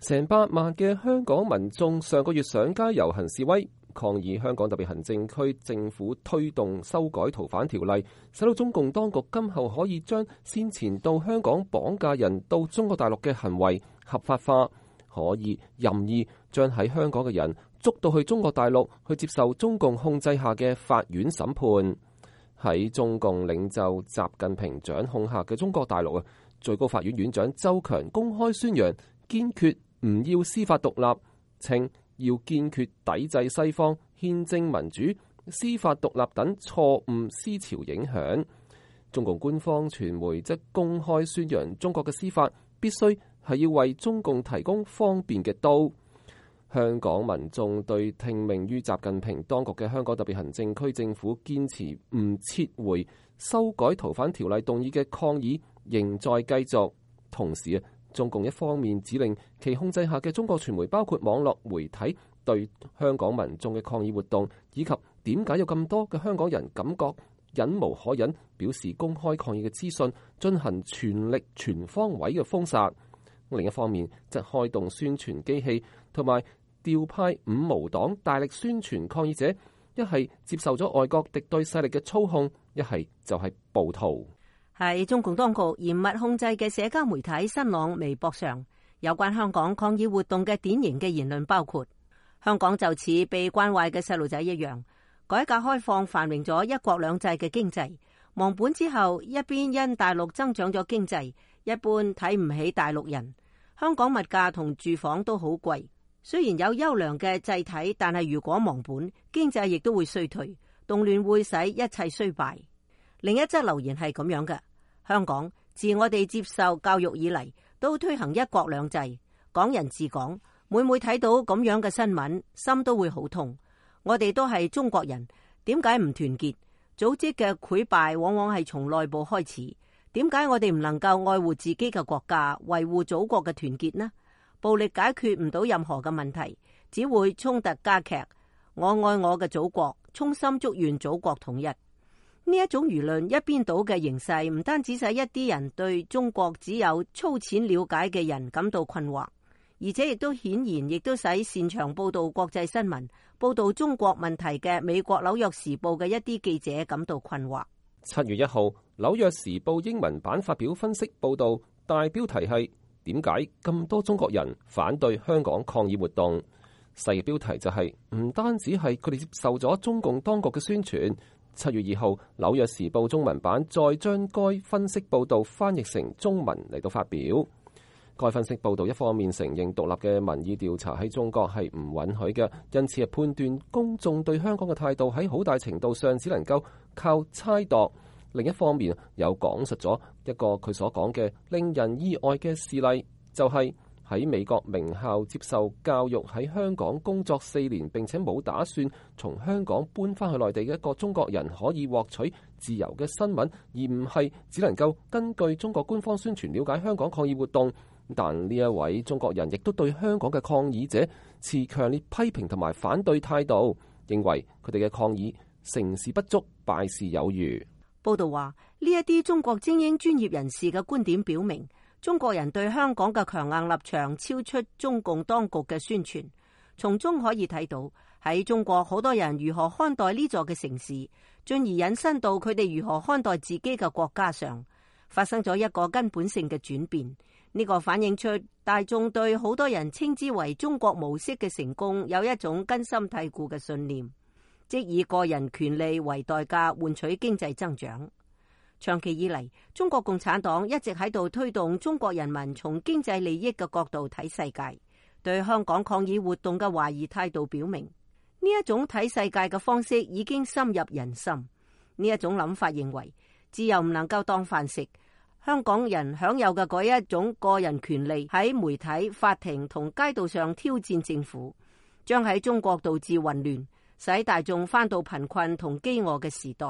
成百萬嘅香港民眾上個月上街遊行示威，抗議香港特別行政區政府推動修改逃犯條例，使到中共當局今後可以將先前到香港綁架人到中國大陸嘅行為合法化，可以任意將喺香港嘅人捉到去中國大陸去接受中共控制下嘅法院審判。喺中共領袖習近平掌控下嘅中國大陸，最高法院院長周強公開宣揚堅決唔要司法獨立，稱要堅決抵制西方憲政民主、司法獨立等錯誤思潮影響。中共官方傳媒則公開宣揚中國嘅司法必須係要為中共提供方便嘅刀。香港民眾對聽命於習近平當局嘅香港特別行政區政府堅持唔撤回修改逃犯條例動議嘅抗議仍在繼續。同時中共一方面指令其控制下嘅中國傳媒，包括網絡媒體，對香港民眾嘅抗議活動以及點解有咁多嘅香港人感覺忍無可忍，表示公開抗議嘅資訊，進行全力全方位嘅封殺。另一方面，則開動宣傳機器，同埋調派五毛黨大力宣傳抗議者，一係接受咗外國敵對勢力嘅操控，一係就係暴徒。喺中共當局嚴密控制嘅社交媒體新浪微博上，有關香港抗議活動嘅典型嘅言論包括：香港就似被慣壞嘅細路仔一樣，改革開放繁榮咗一國兩制嘅經濟，忘本之後，一邊因大陸增長咗經濟，一般睇唔起大陸人。香港物價同住房都好貴，雖然有優良嘅制體，但係如果忘本，經濟亦都會衰退，動亂會使一切衰敗。另一則留言係咁樣嘅：香港自我哋接受教育以嚟，都推行一國兩制、港人治港。每睇到咁樣嘅新聞，心都會好痛。我哋都係中國人，點解唔團結？組織嘅潰敗往往係從內部開始。點解我哋唔能夠愛護自己嘅國家，維護祖國嘅團結呢？暴力解決唔到任何嘅問題，只會衝突加劇。我愛我嘅祖國，衷心祝願祖國統一。呢一種輿論一邊倒嘅形勢，唔單止使一啲人對中國只有粗淺了解嘅人感到困惑，而且亦都顯然亦都使擅長報道國際新聞、報道中國問題嘅美國紐約時報嘅一啲記者感到困惑。7月1號，紐約時報英文版發表分析報道，大標題係點解咁多中國人反對香港抗議活動？細嘅標題就係唔單止係佢哋接受咗中共當局嘅宣傳。7月2號，紐約時報中文版再將該分析報道翻譯成中文嚟到發表。該分析報道一方面承認獨立嘅民意調查喺中國係唔允許嘅，因此係判斷公眾對香港嘅態度喺好大程度上只能夠靠猜度。另一方面又講述咗一個佢所講嘅令人意外嘅事例，就係喺美國名校接受教育，喺香港工作4年並且冇打算從香港搬翻去內地嘅一個中國人可以獲取自由嘅新聞，而唔係只能夠根據中國官方宣傳了解香港抗議活動。但呢一位中國人亦都對香港嘅抗議者持強烈批評同埋反對態度，認為佢哋嘅抗議成事不足，敗事有餘。報道話，呢一啲中國精英專業人士嘅觀點表明，中國人對香港嘅強硬立場超出中共當局嘅宣傳。從中可以睇到，喺中國好多人如何看待呢座嘅城市，進而引申到佢哋如何看待自己嘅國家上，發生咗一個根本性嘅轉變。呢個反映出大眾對好多人稱之為中國模式嘅成功有一種根深蒂固嘅信念，即以個人權利為代價換取經濟增長。長期以嚟，中國共產黨一直喺度推動中國人民從經濟利益嘅角度睇世界，對香港抗議活動嘅懷疑態度表明，呢一種睇世界嘅方式已經深入人心。呢一種諗法認為，自由唔能夠當飯食。香港人享有嘅嗰一種個人權利喺媒體、法庭同街道上挑戰政府，將喺中國導致混亂，使大眾返到貧困同飢餓嘅時代。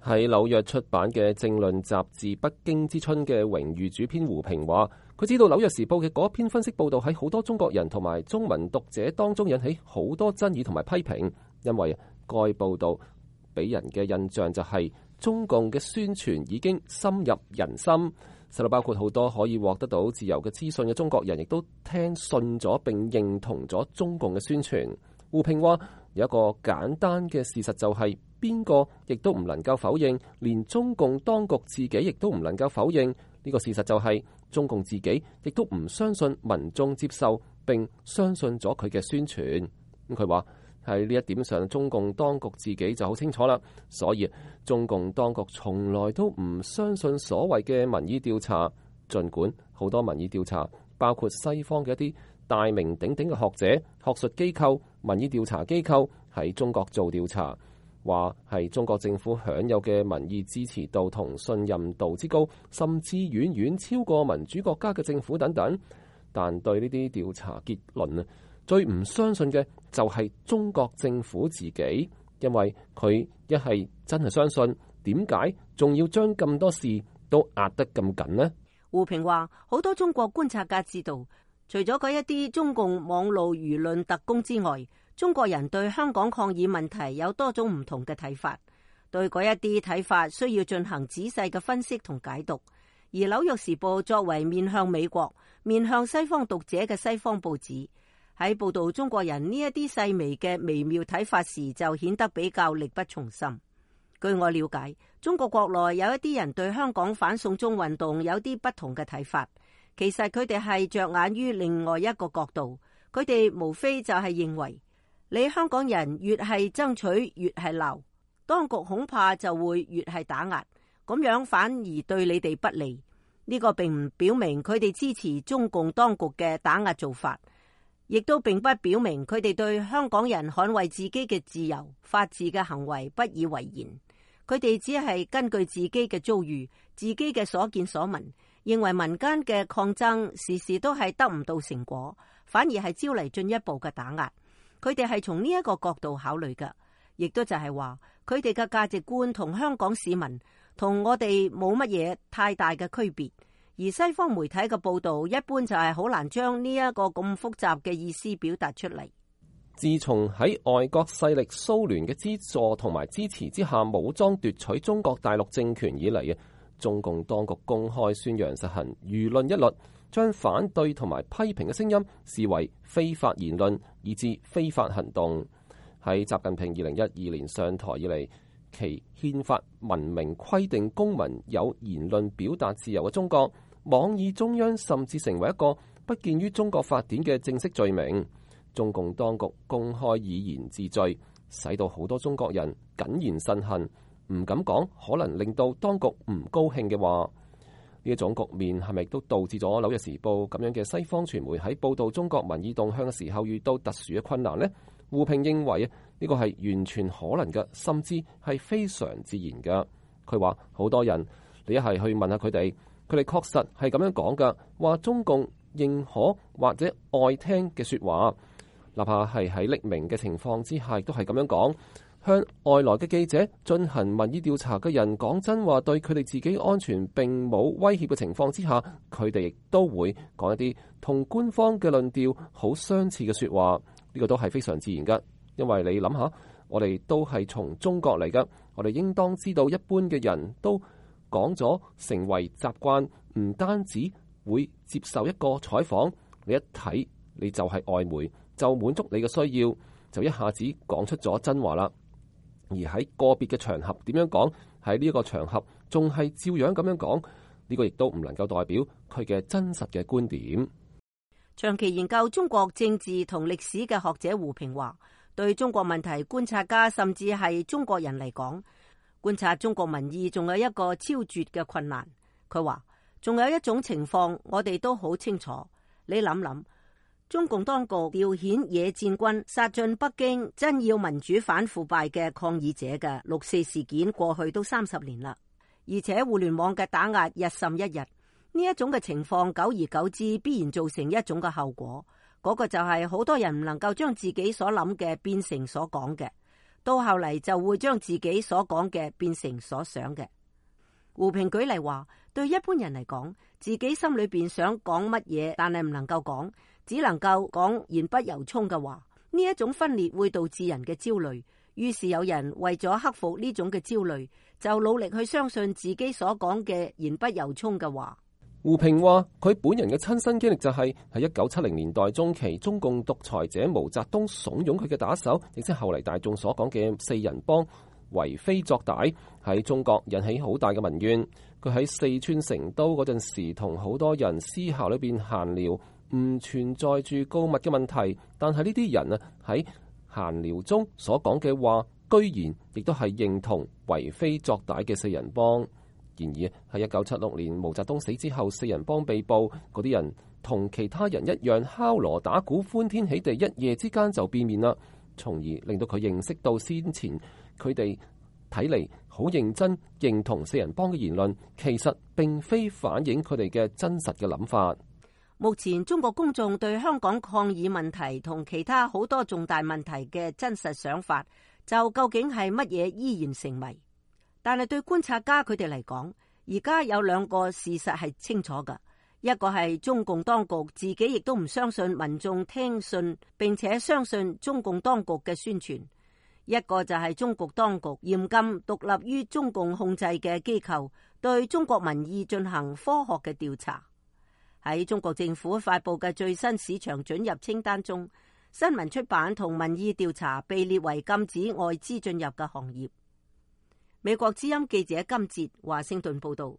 喺紐約出版嘅政論雜誌《北京之春》嘅榮譽主編胡平話，佢知道紐約時報嘅嗰篇分析報道喺好多中國人同埋中文讀者當中引起好多爭議同埋批評，因為該報道俾人嘅印象就係中共嘅宣傳已經深入人心，使到包括好多可以獲得到自由嘅資訊嘅中國人，亦都聽信咗並認同咗中共嘅宣傳。胡平話：有一個簡單嘅事實就係，邊個亦都唔能夠否認，連中共當局自己亦都唔能夠否認呢個事實就係，中共自己亦都唔相信民眾接受並相信咗佢嘅宣傳。咁佢話喺呢一點上，中共當局自己就好清楚啦。所以中共當局從來都唔相信所謂嘅民意調查，儘管好多民意調查，包括西方嘅一啲大名鼎鼎嘅學者、學術機構、民意調查機構喺中國做調查，話係中國政府享有嘅民意支持度同信任度之高，甚至遠遠超過民主國家嘅政府等等。但對呢啲調查結論啊，最唔相信嘅就係中國政府自己，因為佢一係真係相信，點解仲要將咁多事都壓得咁緊呢？胡平話：好多中國觀察家知道，除咗嗰一啲中共網路輿論特工之外，中國人對香港抗議問題有多種唔同嘅睇法，對嗰一啲睇法需要進行仔細嘅分析同解讀。而《紐約時報》作為面向美國、面向西方讀者嘅西方報紙，喺報導中國人呢一啲細微嘅微妙睇法時，就顯得比較力不從心。據我了解，中國國內有一啲人對香港反送中運動有啲不同嘅睇法，其實佢哋係着眼於另外一個角度，佢哋無非就係認為，你香港人越係爭取越係鬧，當局恐怕就會越係打壓，咁樣反而對你哋不利。呢個並唔表明佢哋支持中共當局嘅打壓做法，亦都並不表明佢哋對香港人捍衛自己嘅自由、法治嘅行為不以為然。佢哋只係根據自己嘅遭遇、自己嘅所見所聞，認為民間嘅抗爭時時都係得唔到成果，反而係招嚟進一步嘅打壓。佢哋係從呢一個角度考慮嘅，亦都就係話佢哋嘅價值觀同香港市民同我哋冇乜嘢太大嘅區別。而西方媒體嘅報導一般就係好難將呢一個咁複雜嘅意思表達出嚟。自從喺外國勢力蘇聯嘅資助同埋支持之下武裝奪取中國大陸政權以嚟，中共當局公開宣揚實行輿論一律，將反對同埋批評嘅聲音視為非法言論，以致非法行動。喺習近平2012年上台以嚟，其憲法文明規定公民有言論表達自由嘅中國，妄議中央甚至成為一個不見於中國法典嘅正式罪名。中共當局公開以言治罪，使到好多中國人謹言慎行，唔敢講可能令到當局唔高興嘅話。呢一種局面係咪都導致咗《紐約時報》咁樣嘅西方傳媒喺報導中國民意動向嘅時候遇到特殊嘅困難呢？胡平認為呢個係完全可能嘅，甚至係非常自然嘅。佢話好多人，你一係去問下佢哋，佢哋確實係咁樣講㗎，話中共認可或者愛聽嘅説話。哪怕係喺匿名嘅情況之下，都係咁樣講。向外來嘅記者進行民意調查嘅人講真話，對佢哋自己安全並冇威脅嘅情況之下，佢哋亦都會講一啲同官方嘅論調好相似嘅説話。呢個都係非常自然㗎，因為你諗下，我哋都係從中國嚟㗎，我哋應當知道一般嘅人都講咗成為習慣，唔單止會接受一個採訪，你一睇你就係外媒，就滿足你嘅需要，就一下子講出咗真話啦。而喺個別嘅場合點樣講，喺呢一個場合仲係照樣咁樣講，呢個亦都唔能夠代表佢嘅真實嘅觀點。長期研究中國政治同歷史嘅學者胡平話，對中國問題觀察家甚至係中國人嚟講，觀察中國民意仲有一個超絕嘅困難。佢話仲有一種情況我哋都好清楚，你諗諗，中共當局調遣野戰軍殺進北京真要民主反腐敗嘅抗議者嘅六四事件過去都30年啦，而且互聯網嘅打壓日甚一日。呢一種嘅情況久而久之必然造成一種嘅後果，嗰個就係好多人唔能夠將自己所諗嘅變成所講嘅，到後嚟就會將自己所講嘅變成所想嘅。胡平舉例話，對一般人嚟講，自己心裏邊想講乜嘢，但係唔能夠講，只能夠講言不由衷嘅話，呢一種分裂會導致人嘅焦慮，於是有人為咗克服呢種嘅焦慮，就努力去相信自己所講嘅言不由衷嘅話。胡平話：佢本人嘅親身經歷就係喺1970年代中期，中共獨裁者毛澤東慫恿佢嘅打手，亦即係後嚟大眾所講嘅四人幫為非作歹，喺中國引起好大嘅民怨。佢喺四川成都嗰陣時，同好多人私下裏邊閒聊，唔存在住告密嘅問題，但係呢啲人啊喺閒聊中所講嘅話，居然亦都係認同為非作歹嘅四人幫。然而喺1976年毛澤東死之後，四人幫被捕，嗰啲人同其他人一樣敲鑼打鼓歡天喜地，一夜之間就變面啦，從而令到佢認識到先前佢哋睇嚟好認真認同四人幫嘅言論，其實並非反映佢哋嘅真實嘅諗法。目前中國公眾對香港抗議問題同其他好多重大問題嘅真實想法，就究竟係乜嘢依然成謎。但係對觀察家佢哋嚟講，而家有兩個事實係清楚㗎，一個係中共當局自己亦都唔相信民眾聽信並且相信中共當局嘅宣傳，一個就係中國當局嚴禁獨立於中共控制嘅機構對中國民意進行科學嘅調查。喺中國政府發佈嘅最新市場准入清單中，新聞出版同民意調查被列為禁止外資進入嘅行業。美國之音記者金哲華盛頓報道。